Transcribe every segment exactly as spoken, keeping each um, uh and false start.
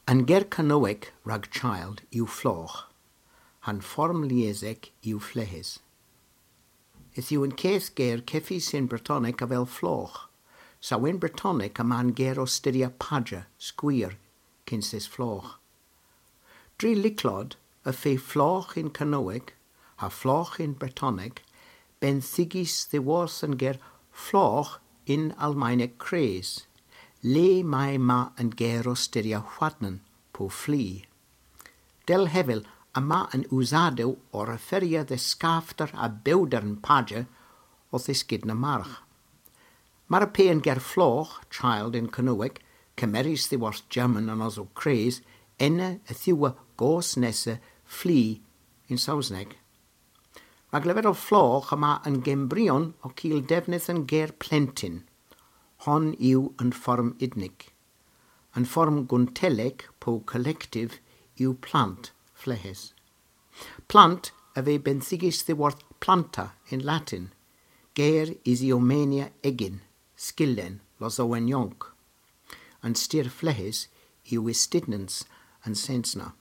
An ger Kernowek rag child yw floch, han form liesek yw flehes. Yth yw yn ceth ger ceffis in Bretonec a fel floch, saw in Bretonec a man ger o styria padja, sgwir, cynses floch. Dri liclod y ffe floch in Kernowek, ha floch in Bretonec, benthigis ddiworth yn ger floch in Almaeneg cres, le mae ma yn ger o styria hwadnan po fli. Del hefel a ma yn wsadew o'r referia de scafter a bewder yn padja o ddysgyd na march. Mar y pe yn ger floch, child in Kernowek, cymeris ddiworth German yn osw cres, enne y thiwa gos nesa fli in Saesneg. Rhag lefel o floch yma yn gembrion o cil defnydd yn ger plentyn. Hon yw yn fform idnig. Yn fform gwntelig po collectif yw plant flehes. Plant a fe benthigis ddiworth planta in Latin, ger isiomania egin, sgilen, losowen ionc. Yn styr flehes yw istidnans yn sensna.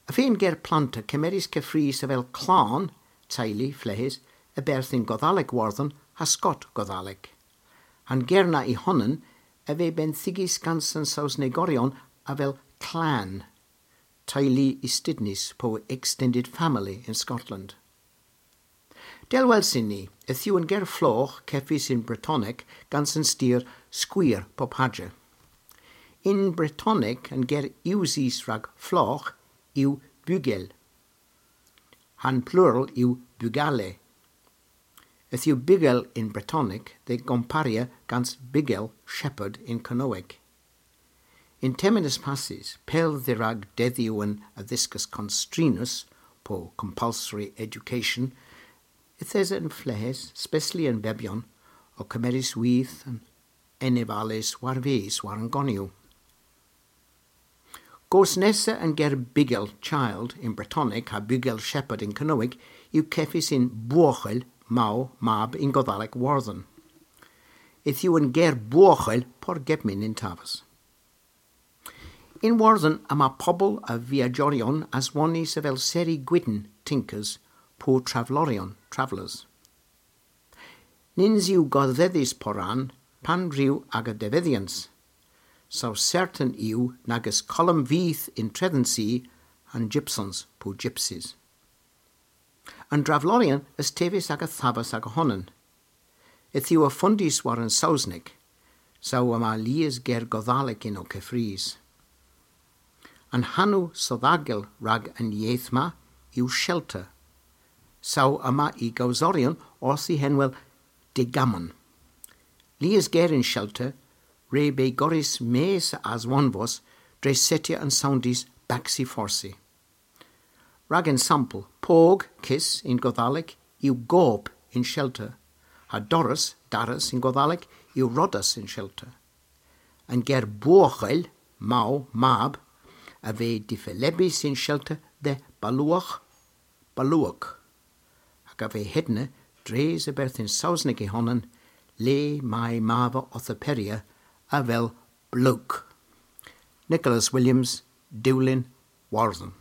A fe'n ger planta cymeris cyffrys a fel clan, teulu, flehes, y berthyn Goddaleg warddon ha Scott Goddaleg. Han gerna i honnen a fe benthigis gans yn Saesnegorion a fel clan, teulu istidnis po extended family in Scotland. Del welsin ni, y thiw yn ger floch ceffis in Bretonec gans yn styr sgwir po padja. In Bretonec yn ger iwsis rag floch yw bugel. Han plural yw bugale. Yth yw bugel in Bretonec, de gomparia gans bugel shepherd in Kernowek. In terminus passis, pel ddirag deddiw yn addysgus constrinus, po compulsory education, yth yn flehes, especially yn bebion, o cymeris wyth yn enefales war fes war yn goniw. Gos nesa yn ger bugel child in Bretonec ha bugel shepherd in Kernowek yw ceffis in buochel maw mab in Goddaleg warddon. Yth yw yn ger buochel por gebmin in tafas. In warddon yma pobl a viagiorion aswonis a fel seri gwydn tinkers po traflorion, travellers. Nins yw goddeddus poran pan rhyw ag y defyddians. So certain yw nagus column fydd in Trethensi and gypsons po gypsies. Yn draflorion ys tefus ag y thafas ag y honnen. Yth yw y ffundis war yn Saesneg, saw yma lias ger Goddaleg in o cyffrys. Yn hanw soddagel rag yn ieithma yw shelter. Saw yma i gawsorion wrth i henwel digamon. Lias ger in shelter, re be goris mes as wanvos dre setia yn soundis baxi forsi. Rag yn sampl, pog, kiss, in Goddaleg, yw gob in shelter, ha Doris, Darus in Goddaleg, yw rodas in shelter. Yn ger buochel, maw, mab, a fe diffelebis in shelter de baluoch, baluoch. Ac a fe hedne, dres y berthyn Saesneg i honnen, le mae mava othoperia a fel bloke. Nicholas Williams, Dulin, Warden.